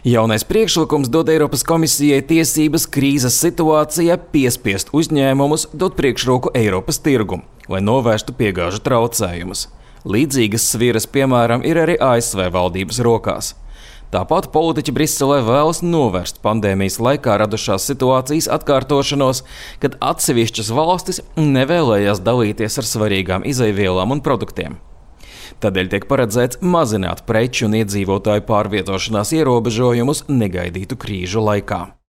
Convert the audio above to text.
Jaunais priekšlikums dod Eiropas komisijai tiesības krīzes situācijā piespiest uzņēmumus dot priekšroku Eiropas tirgumu, lai novērstu piegāžu traucējumus. Līdzīgas sviras, piemēram, ir arī ASV valdības rokās. Tāpat politiķi Briselē vēlas novērst pandēmijas laikā radušās situācijas atkārtošanos, kad atsevišķas valstis nevēlējās dalīties ar svarīgām izejvielām un produktiem. Tādēļ tiek paredzēts mazināt preču un iedzīvotāju pārvietošanās ierobežojumus negaidītu krīžu laikā.